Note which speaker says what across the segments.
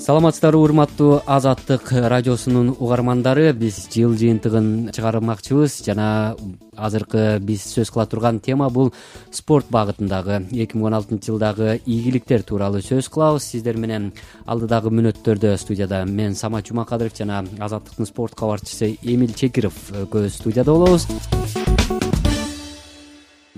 Speaker 1: Саламатсыздарбы урматтуу Азаттык радиосунун угармандары. Биз жыл жыйынтыгын чыгармакчыбыз жана азыркы биз сөз кыла турган тема бул спорт багытындагы 2016 жылдагы ийгиликтер тууралуу сөз кылабыз. Сиздер менен алдыдагы мүнөттөрдө студияда мен Самат Жумакадыров жана Азаттыктын спорт кабарчысы Эмил Чекиров экөөбүз студияда болобуз.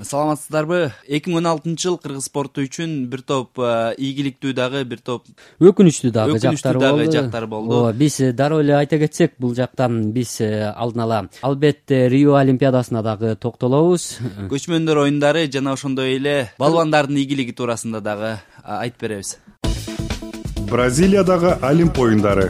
Speaker 2: Саламатсыздарбы? 2016 жыл кыргыз спорту үчүн бир топ ийгиликтүү дагы, бир топ
Speaker 1: өкүнүчтүү дагы
Speaker 2: жактар болду.
Speaker 1: Биз дароо эле айта кетсек, бул жактан биз алдын ала албетте Рио Олимпиадасына дагы токтолобуз.
Speaker 2: Көчмөндөр оюндары жана ошондой эле балбандардын ийгилиги туурасында дагы айтып беребиз.
Speaker 3: Бразилиядагы Олимп оюндары.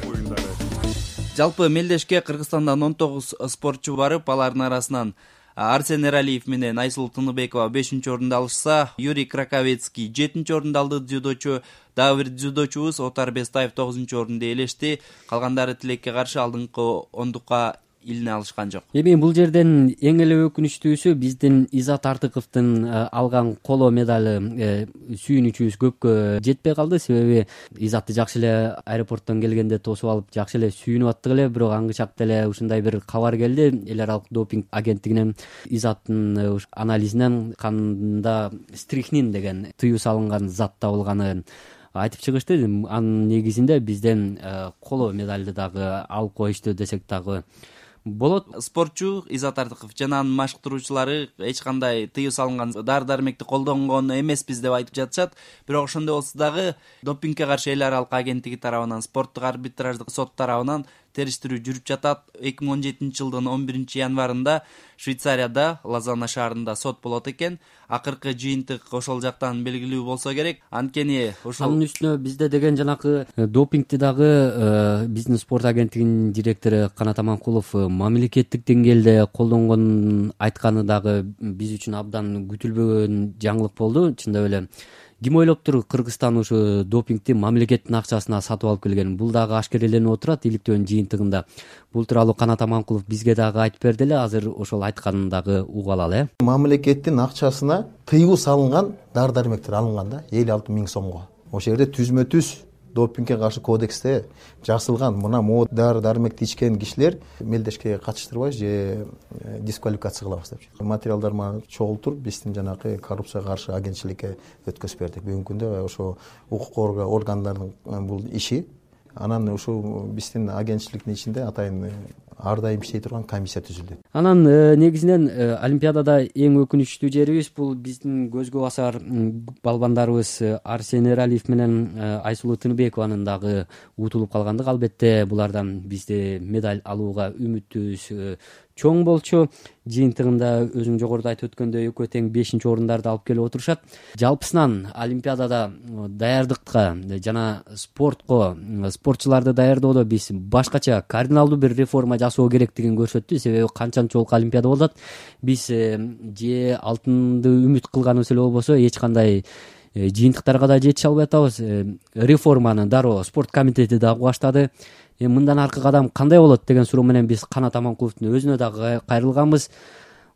Speaker 2: Жалпы мелдешке Кыргызстандан 19 спортчу барып, алардын арасынан Арсен Эралиев менен Айсулуу Тыныбекова 5-орунду алышса, Юрий Краковецкий 7-орунду алды. Дзюдочу дагы бир дзюдочубуз Отар Бестаев 9-орунду ээлешти. Калгандары тилекке каршы алдыңкы ондукка илине алышкан жок.
Speaker 1: Эми бул жерден эң эле өкүнүчтүүсү биздин Изат Артыковдун алган коло медали сүйүнүчүбүз көпкө жетпей калды. Себеби Изатты жакшы эле аэропорттон келгенде тосуп алып жакшы эле сүйүнүп аттык эле, бирок аңгычакта эле ушундай бир кабар келди. Эл аралык допинг агенттигинен Изаттын анализинен канда стрихнин деген тыюу салынган зат табылганын айтып чыгышты. Анын негизинде бизден коло медалды дагы алып коюшту десек дагы болот.
Speaker 2: Спортчу Изат Артыков жана анын машыктыруучулары эч кандай тыюу салынган дары-дармекти колдонгон эмеспиз деп айтып жатышат. Бирок ошондой болсо дагы допингге каршы эл аралык агенттиги тарабынан, спорттук арбитраждык сот тарабынан териштирүү жүрүп жатат. 2017 жылдын 11 январында Швейцарияда Лозанна шаарында сот болот экен. Акыркы жыйынтык ошол жактан белгилүү болсо керек. Анткени ошол
Speaker 1: анын үстүнө бизде деген жанакы допингти дагы биздин спорт агенттигинин директору Канат Аманкулов мамлекеттик деңгээлде колдонгонун айтканы дагы биз үчүн абдан күтүлбөгөн жаңылык болду. Чындап эле ким ойлоптур Кыргызстан ушу допингти мамлекеттин акчасына сатып алып келген? Бул дагы ашкереленип отурат иликтөөнүн жыйынтыгында. Бул тууралуу Канат Аманкулов бизге дагы айтып берди эле. Азыр ошол айтканын дагы угуп алалы.
Speaker 4: Мамлекеттин акчасына тыюу салынган дары-дармектер алынган да 56 000 сомго. Ошол жерде түзмө-түз допингге каршы кодексте жазылган мына могу дары-дармекти ичкен кишилер мелдешке катыштырбайбыз же дисквалификация кылабыз деп. Материалдар мага чогултуруп биздин жанакы коррупцияга каршы агентчиликке өткөзүп бердик. Бүгүнкү күндө ошо укук органдардын бул иши. Анан ушул биздин агентчиликтин ичинде атайын ар дайым иштей турган комиссия түзүлдү.
Speaker 1: Анан негизинен Олимпиадада эң өкүнүчтүү жерибиз бул биздин көзгө басар балбандарыбыз Арсен Эралиев менен Айсулуу Тыныбекованын дагы утулуп калгандыгы. Албетте булардан бизде медаль алууга үмүтүбүз чоң болчу. Жыйынтыгында өзүң жогоруда айтып өткөндөй экөө тең 5-орундарды алып келип отурушат. Жалпысынан Олимпиадада даярдыкка жана спортчуларды даярдоодо биз башкача кардиналдуу бир реформа жасоо керектигин көрсөттү. Себеби канчанчолук Олимпиада болот. Биз же алтынды үмүт кылганыбыз эле болбосо эч кандай жыйынтыктарга да жетише албай атабыз. Реформаны дароо спорт комитети дагы баштады. Мындан аркы кадам кандай болот деген суроо менен биз Канат Аманкуловдун өзүнө дагы кайрылганбыз.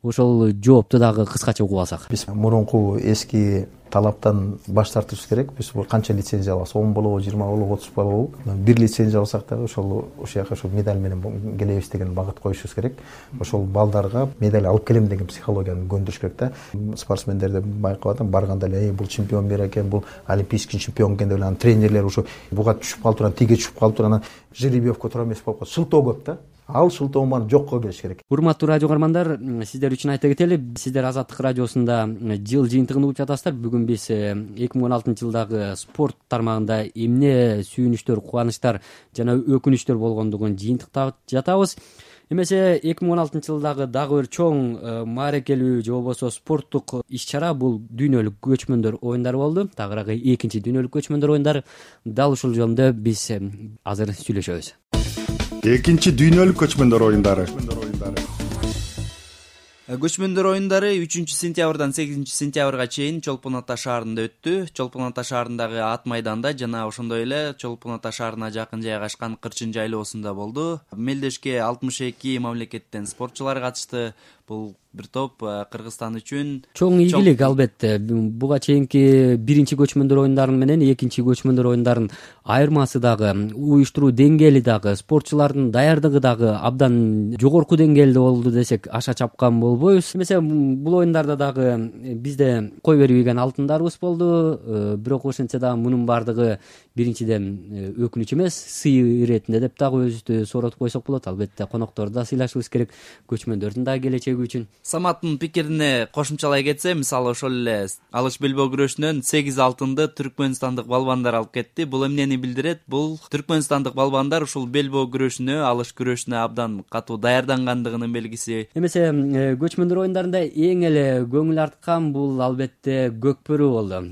Speaker 1: Ошол жоопту дагы кыскача угуп алсак.
Speaker 4: Биз мурунку эски талаптан баш тартышыбыз керек. Биз канча лицензия алабыз? 10 болобу, 20 болобу, 30 болобу? Бир лицензия алсак дагы ошол жака ошол медаль менен келебиз деген багыт коюшубуз керек. Ошол балдарга медаль алып келем деген психологияны көндүрүш керек да. Спортсмендерди байкап атам, барганда эле бул чемпион бер экен, бул олимпийский чемпион экен деп эле анын тренерлери ошо буга түшүп калып турган, тиге түшүп калып турган жеребьевка туура эмес болуп калат. Шылтоо көп да. Ал шылтооманы жокко келиш керек.
Speaker 1: Урматтуу радио угармандар, сиздер үчүн айта кетели. Сиздер Азаттык радиосунда жыл жыйынтыгын угуп жатасыздар. Бүгүн биз 2016 жылдагы спорт тармагында эмне сүйүнүчтөр, кубанычтар жана өкүнүчтөр болгондугун жыйынтыктап жатабыз. Эмесе 2016 жылдагы дагы бир чоң маарекелүү же болбосо спорттук иш-чара бул дүйнөлүк көчмөндөр оюндары болду. Тагыраагы экинчи дүйнөлүк көчмөндөр оюндары. Дал ушул жөнүндө биз азыр сүйлөшөбүз.
Speaker 3: Экинчи дүйнөлүк көчмөндөр оюндары.
Speaker 2: Көчмөндөр оюндары 3-сентябрдан 8-сентябрга чейин Чолпон Ата шаарында өттү. Чолпон Ата шаарындагы ат майданда жана ошондой эле Чолпон Ата шаарына жакын жайгашкан Кырчын жайлоосунда болду. Мелдешке 62 мамлекеттен спортчулар катышты. бул бир топ Кыргызстан үчүн
Speaker 1: чоң ийгилик. Албетте буга чейинки биринчи көчмөндөр оюндарын менен экинчи көчмөндөр оюндарын айырмасы дагы, уюштуруу деңгээли дагы, спортчулардын даярдыгы дагы абдан жогорку деңгээлде болду десек аша чапкан болбойбуз. Эмесе бул оюндарда дагы бизде кой бербеген алтындарыбыз болду. Бирок ошентсе дагы мунун баардыгы биринчиден өкүнүч эмес, сый иретинде деп дагы өзүбүздү сооротуп койсок болот. Албетте конокторду да сыйлашыбыз керек, көчмөндөрдүн дагы келечеги үчүн.
Speaker 2: Саматтын пикирине кошумчалай кетсем, мисалы ошол эле алыш белбөө күрөшүнөн 8 алтынды түркмөнстандык балбандар алып кетти. Бул эмнени билдирет? Бул түркмөнстандык балбандар ушул белбөө күрөшүнө, алыш күрөшүнө абдан катуу даярдангандыгынын белгиси.
Speaker 1: Эмесе көчмөндөр оюндарында эң эле көңүл арткан бул албетте көкбөрү болду.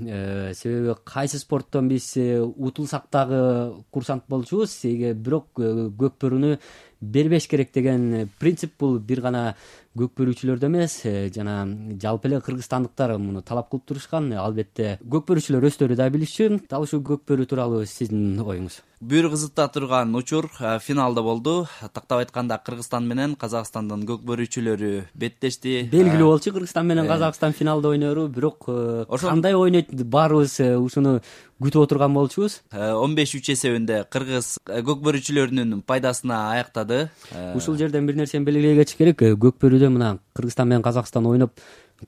Speaker 1: Себеби кайсы спорттон биз утулсак дагы курсант болчубуз, бирок көкбөрүнү бербеш керек деген принцип бул бир гана көкбөрүүчүлөрдө эмес, жана жалпы эле кыргызстандыктар муну талап кылып турушкан. Албетте көкбөрүүчүлөр өздөрү да билишчү. Дал ушул көкбөрүү тууралуу сиздин оюңуз?
Speaker 2: Бүйүр кызыкта турган учур финалда болду. Тактап айтканда Кыргызстан менен Казакстандын көкбөрүүчүлөрү беттешти.
Speaker 1: Белгилүү болчу Кыргызстан менен Казакстан финалда ойнору, бирок кандай ойнойт баарыбыз ушуну күтүп отурган болчубуз.
Speaker 2: 15-3 эсебинде кыргыз көкбөрүүчүлөрүнүн пайдасына аяктады.
Speaker 1: Ушул жерден бир нерсени белгилей кетиш керек. Көкбөрүүдө мына Кыргызстан менен Казакстан ойноп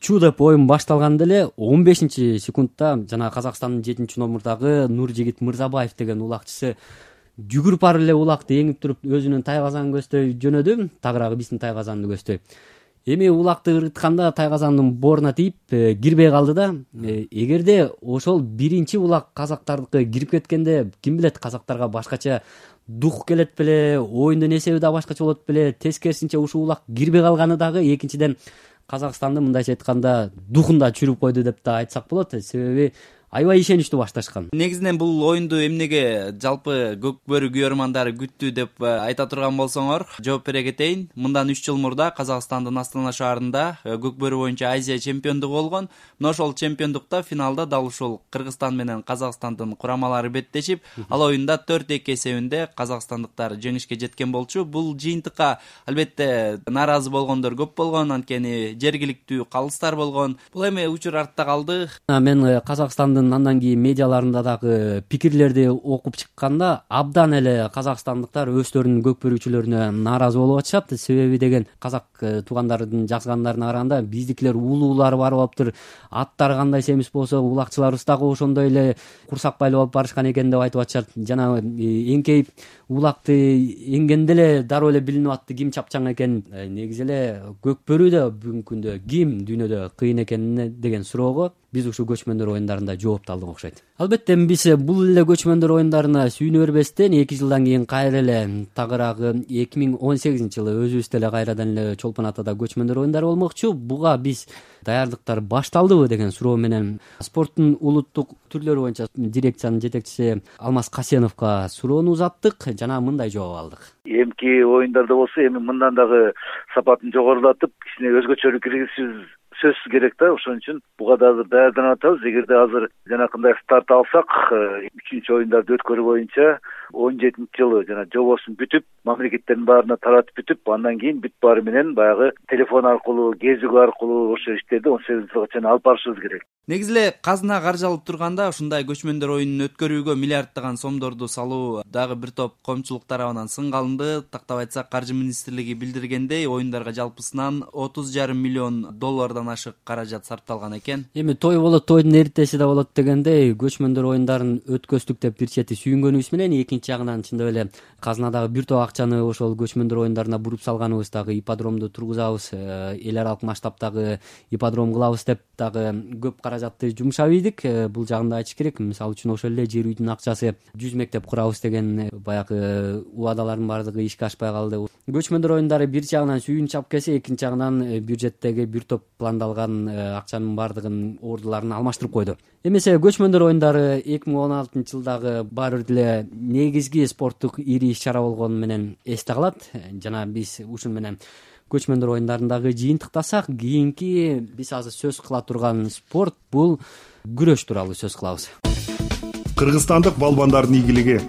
Speaker 1: чуу деп оюн башталганда эле 15-секундта жана Казакстандын 7-номурдагы Нуржигит Мырзабаев деген улакчысы жүгүрүп барып эле улакты эңип туруп өзүнүн тайгазанын көздөй жөнөдү, тагыраагы биздин тайгазанды көздөй. Эми улакты ырытканда тайгазандын бооруна тийип кирбей калды да. Эгерде ошол биринчи улак казактардыкы кирип кеткенде, ким билет, казактарга башкача дух келет беле, оюндун эсеби да башкача болот беле. Тескерисинче ушул улак кирбей калганы дагы экинчиден Казакстанды мындайча айтканда духунда чүрүп койду деп да айтсак болот. Себеби аябай ишеничтүү башташкан.
Speaker 2: Негизинен бул оюнду эмнеге жалпы көкбөрү күйөрмандары күттү деп айта турган болсоңор, жооп бере кетейин. Мындан 3 жыл мурда Казакстандын Астана шаарында көкбөрү боюнча Азия чемпиондугу болгон. Мына ошол чемпиондукта финалда дал ушул Кыргызстан менен Казакстандын курамалары беттешип, ал оюнда 4-2 эсебинде казакстандыктар жеңишке жеткен болчу. Бул жыйынтыкка албетте нааразы болгондор көп болгон, анткени жергиликтүү калыстар болгон. Бул эми учур артта калды.
Speaker 1: Мен Казакстандын андан кийин медиаларында дагы пикирлерди окуп чыкканда абдан эле казакстандыктар өздөрүнүн көкбөрүүчүлөрүнө нааразы болуп атышат. Себеби деген казак туугандардын жазгандарына караганда биздикилер уулуулары барып алыптыр, аттары кандай семиз болсо улакчыларыбыз дагы ошондой эле курсак байлап алып барышкан экен деп айтып атышат. Жана эңкейип улакты эңгенде эле дароо эле билинип атты ким чапчаң экен. Негизи эле көкбөрүүдө бүгүнкү күндө ким дүйнөдө кыйын экен деген суроого биз ушул көчмөндөр оюндарында жооп алдык окшойт. Албетте биз бул эле көчмөндөр оюндарына сүйүнө бербестен 2 жылдан кийин кайра эле тагыраагы 2018-жылы өзүбүздө эле кайрадан эле Чолпон Атада көчмөндөр оюндары болмокчу. Буга биз даярдыктар башталдыбы деген суроо менен спорттун улуттук түрлөрү боюнча дирекциянын жетекчиси Алмаз Касеновго суроону узаттык жана мындай жооп алдык.
Speaker 5: Эмки оюндарда болсо эми мындан дагы сапатын жогорулатып, кичине өзгөчөлүк киргизишибиз сөзсүз керек да. Ошон үчүн буга да азыр даярданып атабыз. Эгерде азыр жанакындай старт алсак, 3-чү оюндарды өткөрүү боюнча 17-жылы жана жобосун бүтүп, мамлекеттердин баарына таратып бүтүп, андан кийин бүт баары менен баягы телефон аркылуу, кезүү аркылуу ошо иштерди 18-жылга чейин алып барышыбыз керек.
Speaker 2: Негизи эле казына каржалып турганда ушундай көчмөндөр оюнун өткөрүүгө миллиарддаган сомдорду салуу дагы бир топ коомчулук тарабынан сынга алынды. Тактап айтсак, Каржы министрлиги билдиргендей, оюндарга жалпысынан $30,5 миллион ашык каражат сарпталган экен.
Speaker 1: Эми той болот, тойдун эртеси да болот дегендей, көчмөндөр оюндарын өткөздүк деп бир чети сүйүнгөнүбүз менен, экинчи жагынан чындап эле казынадагы бир топ акчаны ошол көчмөндөр оюндарына буруп салганыбыз дагы ипподромду тургузабыз, эл аралык масштабтагы ипподром кылабыз деп дагы көп каражатты жумшап ийдик. Бул жагында айтыш керек. Мисалы үчүн ошол эле жер үйдүн акчасы 100 мектеп курабыз деген баягы убадалардын баардыгы ишке ашпай калды. Көчмөндөр оюндары бир жагынан сүйүнүч алып келсе, экинчи жагынан бюджеттеги бир топ пландалган акчанын баардыгын ордуларын алмаштырып койду. Эмесе көчмөндөр оюндары 2016-жылдагы баары бир деле негизги спорттук ири иш-чара болгону менен эсте калат. Жана биз ушун менен көчмөндөр оюндарындагы жыйынтыктасак, кийинки биз азыр сөз кыла турган спорт бул күрөш тууралуу сөз кылабыз.
Speaker 3: Кыргызстандык балбандардын ийгилиги.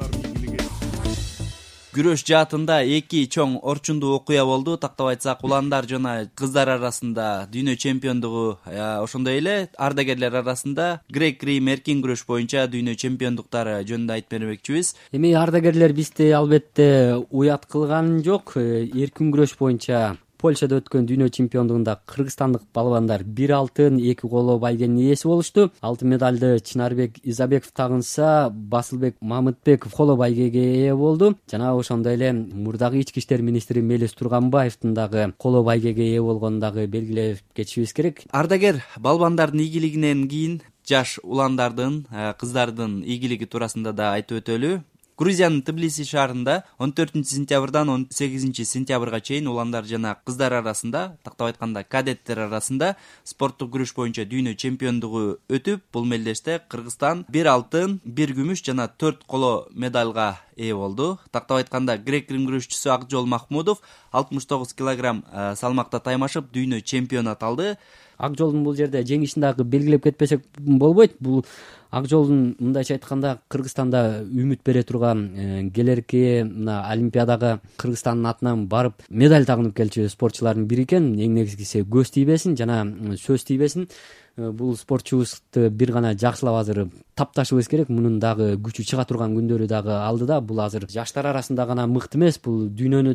Speaker 2: Күрөш жаатында эки чоң орчундуу окуя болду. Тактап айтсак, уландар жана кыздар арасында дүйнө чемпиондугу, ошондой эле ардагерлер арасында грек-рим эркин күрөш боюнча дүйнө чемпиондуктары жөнүндө айтып бермекчибиз.
Speaker 1: Эми ардагерлер бизди албетте уят кылган жок. Эркин күрөш боюнча Польшада өткөн дүйнө чемпиондугунда кыргызстандык балбандар 1 алтын, 2 коло байгенин ээси болушту. Алтын медалды Чынарбек Изабеков тагынса, Басылбек Мамытбеков коло байгеге ээ болду. Жана ошондой эле мурдагы ички иштер министри Мелис Турганбаевдин дагы коло байгеге ээ болгонун дагы белгилеп кетишибиз керек.
Speaker 2: Ардагер балбандардын ийгилигинен кийин жаш уландардын, кыздардын ийгилиги туурасында да айтып өтөлү. Грузиянын Тбилиси шаарында 14-сентябрдан 18-сентябрга чейин уландар жана кыздар арасында, тактап айтканда кадеттер арасында спорттук күрөш боюнча дүйнө чемпиондугу өтүп, бул мелдеште Кыргызстан 1 алтын, 1 күмүш жана 4 коло медалга ээ болду. Тактап айтканда грек-рим күрөшчүсү Акжол Махмудов 69 килограмм салмакта таймашып дүйнө чемпиону аталды.
Speaker 1: Акжолдун бул жерде жеңишин дагы белгилеп кетпесек болбойт. Бул Акжолдун мындайча айтканда Кыргызстанда үмүт бере турган келерки мына Олимпиадага Кыргызстандын атынан барып медаль тагынып келчү спортчулардын бири экен. Эң негизгиси көз тийбесин жана сөз тийбесин. Бул спортчубузду бир гана жакшылап азыр тапташыбыз керек. Мунун дагы күчү чыга турган күндөрү дагы алдыда. Бул азыр жаштар арасында гана мыкты эмес, бул дүйнөнү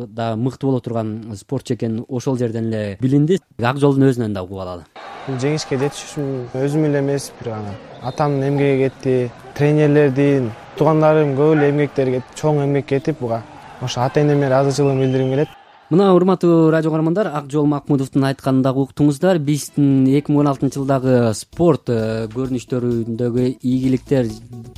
Speaker 1: да мыкты боло турган спортчу экен ошол жерден эле билинди. Акжолдун өзүнөн да угуп алалы.
Speaker 6: Бул жеңишке жетиш үчүн өзүм эле эмес, бир гана атамдын эмгеги кетти, тренерлердин, туугандарым көп эле эмгектер кетти, чоң эмгек кетип, буга ошо ата-энеме ыраазычылыгымды билдиргим келет.
Speaker 1: Мына урматтуу радио каармандар, Акжол Махмудовдун айтканын дагы уктуңуздар. Биздин 2016-жылдагы спорт көрүнүштөрүндөгү ийгиликтер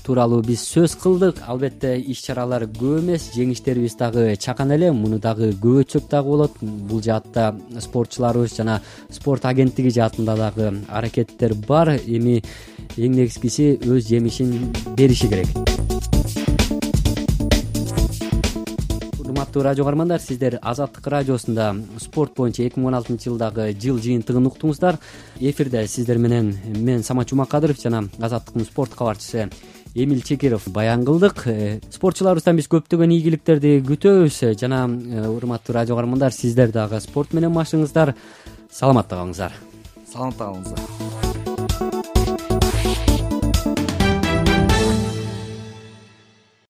Speaker 1: тууралуу биз сөз кылдык. Албетте иш-чаралар көп эмес, жеңиштерибиз дагы чакан эле. Муну дагы көп өтсөк дагы болот. Бул жаатта спортчуларыбыз жана спорт агенттиги жаатында дагы аракеттер бар. Эми эң негизгиси өз жемишин бериши керек. Урматтуу радио каармандар, сиздер Азаттык радиосунда спорт боюнча 2016-жылдагы жыл жыйынтыгын уктуңуздар. Эфирде сиздер менен мен Самат Жумакадыров жана Азаттыктын спорт кабарчысы Эмил Чекиров баян кылдык. Спортчуларыбыздан биз көптөгөн ийгиликтерди күтөбүз жана урматтуу радио каармандар, сиздер дагы спорт менен машыгыңыздар. Саламатта калыңыздар.
Speaker 2: Саламатта калыңыздар.